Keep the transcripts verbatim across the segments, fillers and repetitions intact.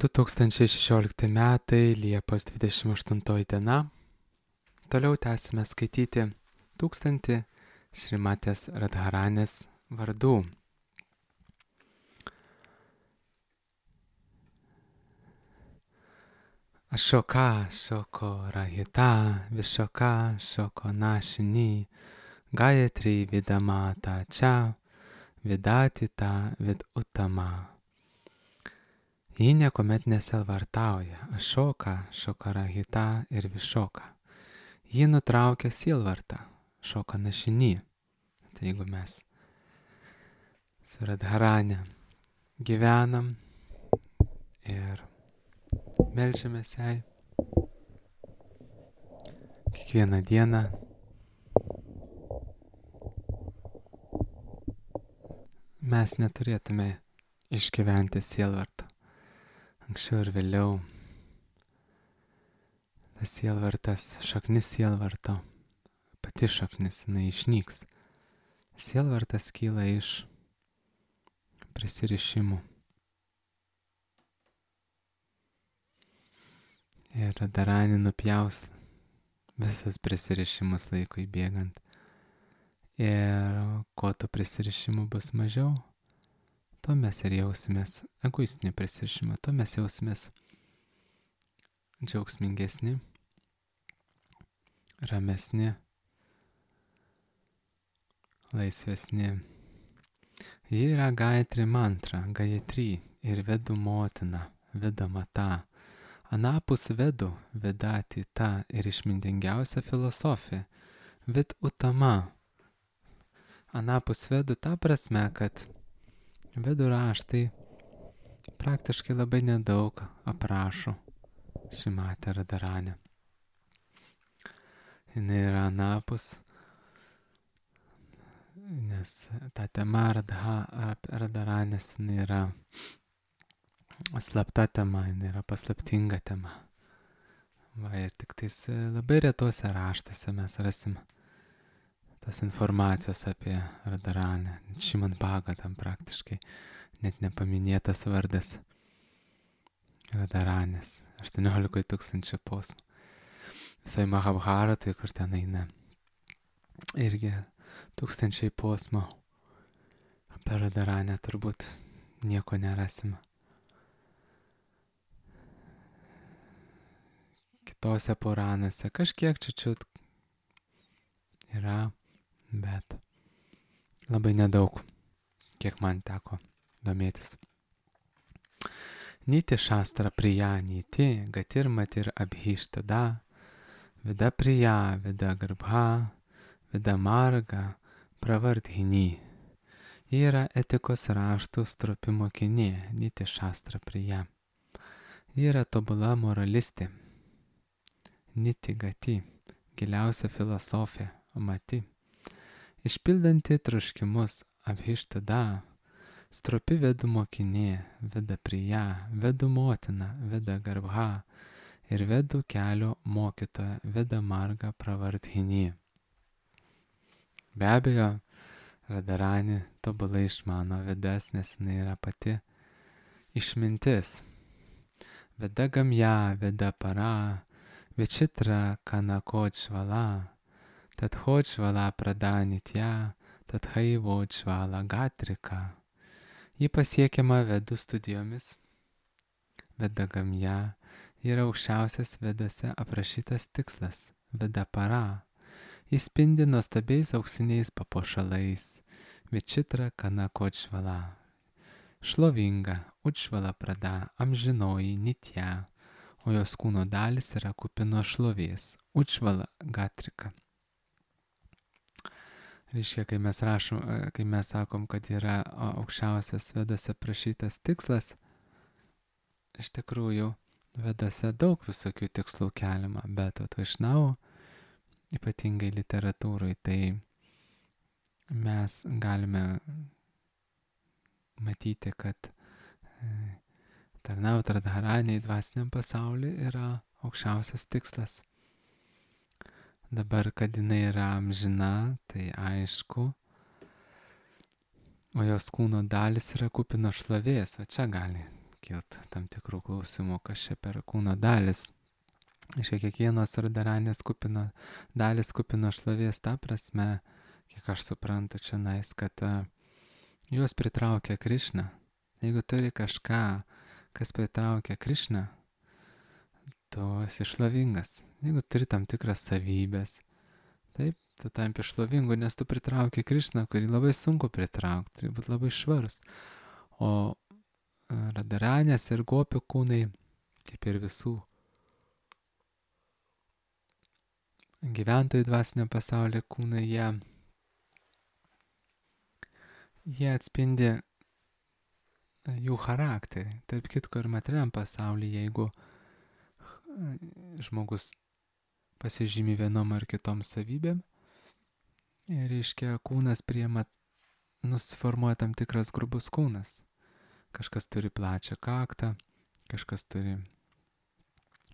du tūkstančiai šešiolikti metai, Liepos dvidešimt aštuntoji diena. Toliau tęsime skaityti tūkstantį Šrimatės Radharanės vardų. Ašoka, Šoko Rahita, Višoka, Šoko Našini, Gayatri Vidamata Čia, Vidatita Vid Utama. Ji niekuomet nesielvartauja, Ašoka, Šoka Rahita ir Višoka. Ji nutraukia sielvartą, Šoka Našini. Tai jeigu mes su Radharane gyvenam ir meldžiamės jai kiekvieną dieną, mes neturėtume išgyventi sielvarto. Anksčiau ir vėliau tas sielvartas, šaknis sielvarto, pati šaknis, jinai išnyks. Sielvartas kyla iš prisirišimų. Ir Radharani nupjaus visas prisirišimus laikui bėgant. Ir kuo tų prisirišimų bus mažiau, to mes ir jausimės egoistinį prisirišimą, to mes jausimės džiaugsmingesni, ramesni, laisvesni. Ji yra Gayatri mantra, Gayatri ir Vedų motina, Vedamata. Anapus Vedų, Vedati ta ir išmintingiausia filosofija, Vid Utama. Anapus Vedų ta prasme, kad Vedų raštai praktiškai labai nedaug aprašo Šrimatę Radharanę. Jis yra anapus, nes ta tema Radha, Radharanės yra slapta tema, yra paslaptinga tema. Va, ir tik tais labai retuose raštuose mes rasim tos informacijos apie Radharanę. Šrimad Bhagavatam praktiškai net nepaminėtas vardas Radharanės. aštuoniolika tūkstančių posmų. Visai Mahabharatui, kur ten eina irgi tūkstančiai posmų. Apie Radharanę turbūt nieko nerasim. Kitose Puranose kažkiek čiučiut yra, bet labai nedaug, kiek man teko domėtis. Niti Šastra Priya Niti, Gatir Matir Abhishtada, Vida Priya, Vida Garbha, Vida Marga, Pravardhini. Ji yra etikos raštų stropi mokinė, Niti Šastra Priya. Ji yra tobula moralistė, Niti Gati, giliausia filosofija, Mati. Išpildanti troškimus, Abhishtada, stropi Vedų mokinė, Vida Priya, Vedų motina, Vida Garbha ir Vedų kelio mokytoja, Vida Marga Pravardhini. Be abejo, Radharani tobulai išmano Vedas, nes jinai yra pati išmintis. Veda Gamya, Veda Para, Vichitra Kanakodžvala, Tadhodžvala Pradanitya, Tadhaivodžvala Gatrika. Ji pasiekiama Vedų studijomis. Veda Gamya yra aukščiausias Vedose aprašytas tikslas, Veda Para. Jis spindi nuostabiais auksiniais papuošalais, Vichitra Kanakodžvala. Šlovinga, Udžvala Prada, amžinoji Nitya, o jos kūno dalis yra kupino šlovės, Udžvala Gatrika. Reiškia, kai mes rašom, kai mes sakom, kad yra aukščiausias Vedose aprašytas tikslas, iš tikrųjų Vedose daug visokių tikslų keliama, bet Vaišnavų, ypatingai literatūrai, tai mes galime matyti, kad tarnauti Radharaniai dvasiniam pasauliu yra aukščiausias tikslas. Dabar, kad jinai yra amžina, tai aišku, o jos kūno dalis yra kupino šlovės, o čia gali kilt tam tikrų klausimų, kas čia per kūno dalis. Iš kiekvienos Radharanės kupino dalis kupino šlovės, ta prasme, kiek aš suprantu čia nais, kad uh, juos pritraukia Krišna. Jeigu turi kažką, kas pritraukia Krišną, tu esi šlovingas. Jeigu turi tam tikras savybės, taip, tu tampi šlovingu, nes tu pritrauki Krišną, kurį labai sunku pritraukti, turi būti labai švarus. O Radharanės ir gopių kūnai, kaip ir visų gyventojų dvasinio pasaulio kūnai, jie, jie atspindi jų charakterį. Tarp kitko ir materialiam pasaulyje, jeigu žmogus pasižymi vienom ar kitom savybėm, ir reiškia kūnas priema, nusiformuoja tam tikras grubus kūnas. Kažkas turi plačią kaktą, kažkas turi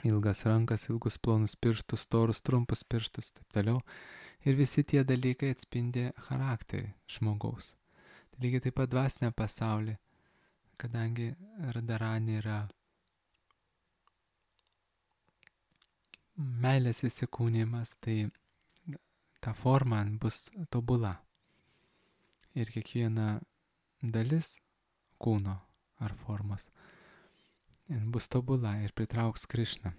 ilgas rankas, ilgus plonus pirštus, storus, trumpus pirštus, taip toliau. Ir visi tie dalykai atspindi charakterį žmogaus. Tai lygiai taip pat dvasinė pasaulį, kadangi Radharani yra meilės įsikūnimas, tai ta forma bus tobula. Ir kiekviena dalis kūno ar formos bus tobula ir pritrauks Krišną.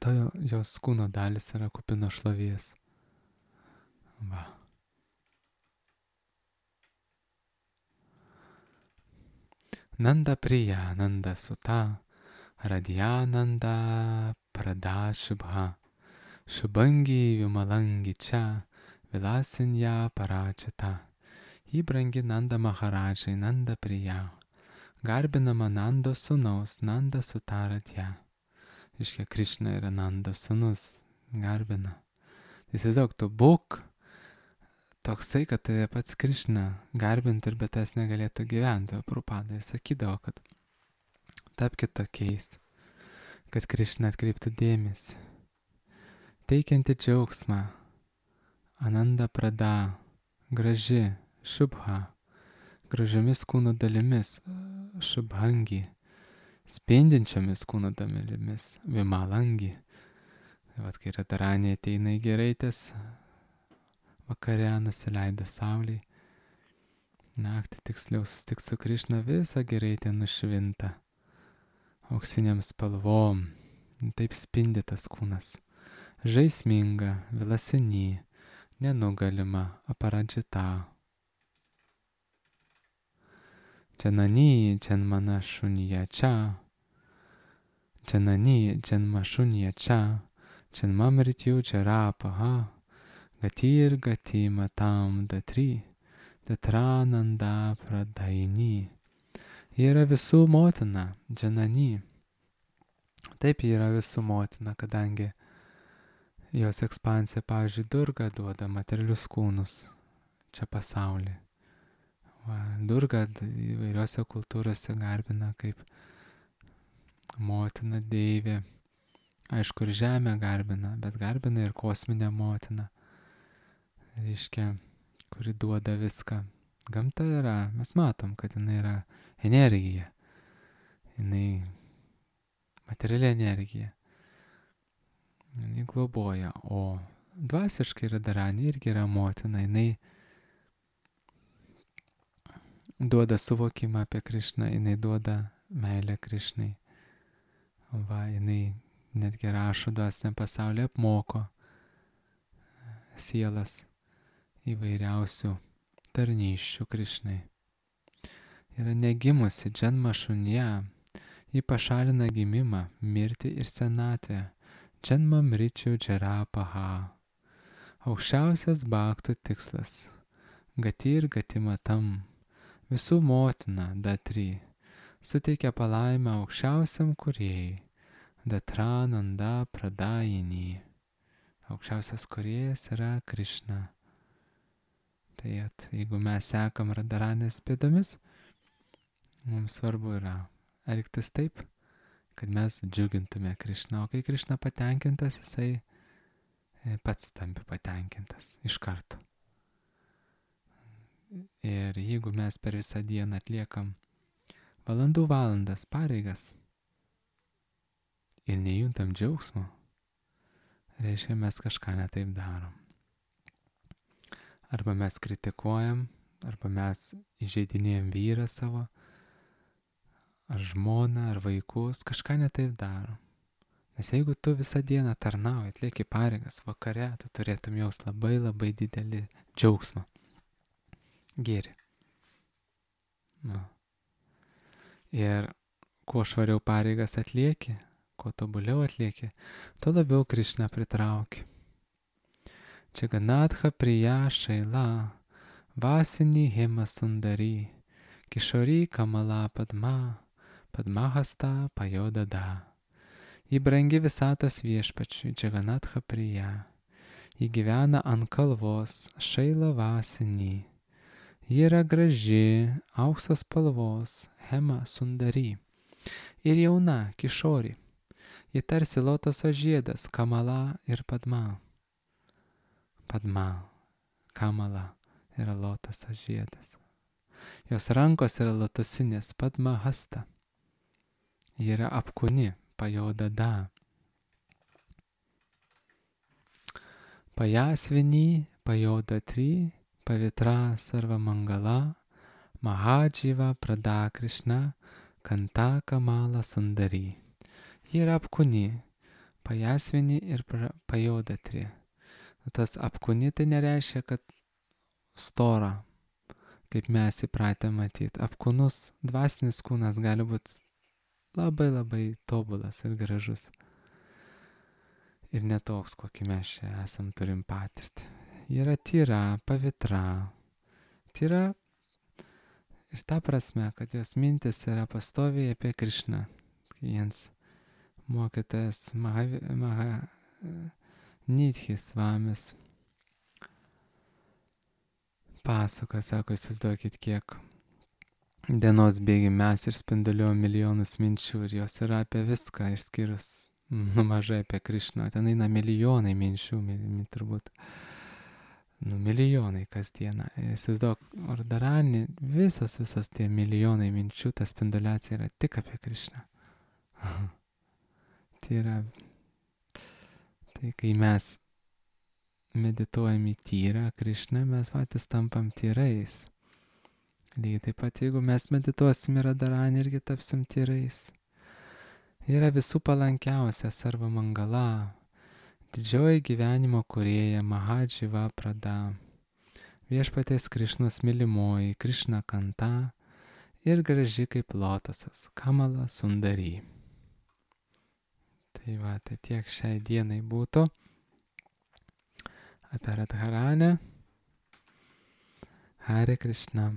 To jos kūno dalis yra kupino šlovės. Va. Nanda priya, nanda suta, radhyananda prada shubha, shubhangi vimalangi cha, vilasinya parachita. Jį brangi Nanda Maharadžai, Nanda priya. Garbinama Nando sūnaus, Nanda sutaratja. Iškia, Krišna yra Nando sūnus, garbina. Įsivaizduok, tu būk toksai, kad tave pats Krišna garbintų ir be tas negalėtų gyventi. O Prabhupada sakydavo, kad tapkit tokiais, kad Krišna atkreiptų dėmesį. Teikianti džiaugsmą, Ananda prada, graži, šubha, gražiamis kūno dalimis, šubhangi, spindinčiamis kūno dalimis, vimalangi. Tai vat, kai Radharanė ateina į giraitės, vakare nusileido saulei, naktį tiksliau susitikti su Krišna, visa giraitė nušvinta auksiniam spalvom, taip spindi tas kūnas, žaisminga, vilasini, nenugalima, aparadžita. Janani janmana šunija čia, Janani janma šunija čia, Janma mrityu jarapaha, Gatir gati matam datri, Datrananda pradaini. Ji yra visų motina, Janani. Taip ji yra visų motina, kadangi jos ekspansija, pavyzdžiui, Durga duoda materialius kūnus čia pasaulyje. Va, Durga įvairiose kultūrose garbina kaip motina deivė. Aišku, ir žemę garbina, bet garbina ir kosminę motiną. Reiškia, kuri duoda viską. Gamta yra, mes matom, kad jinai yra energija. Jinai materiali energija. Jinai globoja, o dvasiškai Radharani irgi yra motina. Jinai duoda suvokimą apie Krišną, jinai duoda meilę Krišnai. Va, jinai netgi rašo dvasiniam pasaulyje, apmoko sielas įvairiausių tarnysčių Krišnai. Yra negimusi džanma šunja, ji pašalina gimimą, mirtį ir senatvę. Džanma mričių džarapaha. Aukščiausias bhaktų tikslas. Gati ir gati matam. Visų motina, Datri, suteikia palaimę aukščiausiam kūrėjai, Datrananda pradajini. Aukščiausias kūrėjas yra Krišna. Tai at, jeigu mes sekam Radharanės pėdomis, mums svarbu yra elgtis taip, kad mes džiugintume Krišną. O kai Krišna patenkintas, jisai pats tampi patenkintas iš karto. Ir jeigu mes per visą dieną atliekam valandų valandas pareigas ir nejuntam džiaugsmo, reiškia mes kažką netaip darom. Arba mes kritikuojam, arba mes įžeidinėjam vyrą savo, ar žmoną, ar vaikus, kažką netaip darom. Nes jeigu tu visą dieną tarnauji, atlieki pareigas, vakare tu turėtum jaus labai labai didelį džiaugsmą. Gėrį. Nu. Ir kuo švariau pareigas atlieki, kuo tobuliau atlieki, tuo labiau Krišną pritrauki. Čiganatha priya šaila, vasinį hema sundari, kišori kamala padma, padmahasta pajodada. Ji brangi visatos viešpačiui, Čiganatha priya. Ji gyvena ant kalvos, šaila vasinį. Ji yra graži, auksos spalvos, hema sundari. Ir jauna, kišori. Ji tarsi lotoso žiedas, kamala ir padma. Padma, kamala yra lotoso žiedas. Jos rankos yra lotosinės, padma hasta. Ji yra apkūni, pajodada. Pajasvinį, pajodatri, pavitra sarva mangala, mahadživa prada Krišna, kanta kamala sundari. Ji yra apkūni, pajasvinį ir pajodatri. Tas apkūni tai nereiškia, kad stora, kaip mes įpratę matyti. Apkūnus dvasinis kūnas gali būti labai labai tobulas ir gražus. Ir netoks, kokį mes čia esam turim patirti. Yra tyra, pavitra. Tyra ir ta prasme, kad jos mintis yra pastoviai apie Krišną. Jiems mokytojas Maha, Maha Nidhis Vamis pasako, sako, įsivaizduokit, kiek dienos bėgi mes ir spinduliuojam milijonus minčių ir jos yra apie viską, išskyrus nu, mažai apie Krišną. Ten eina milijonai minčių, mil, turbūt, nu, milijonai kasdieną. Įsivaizduok, Radharani, visos, visos tie milijonai minčių, ta spinduliacija yra tik apie Krišną. Tai yra, tai kai mes medituojam į tyrą Krišną, mes patys tampam tyrais. Lygiai taip pat, jeigu mes medituosim į Radharani, irgi tapsim tyrais. Yra visų palankiausia sarva mangala, didžioji gyvenimo kūrėja Mahadživa prada, viešpaties Krišnos mylimoji, Krišna kanta ir graži kaip lotosas, kamala sundari. Tai va, tai tiek šiai dienai būtų apie Radharanę. Hare Krishna.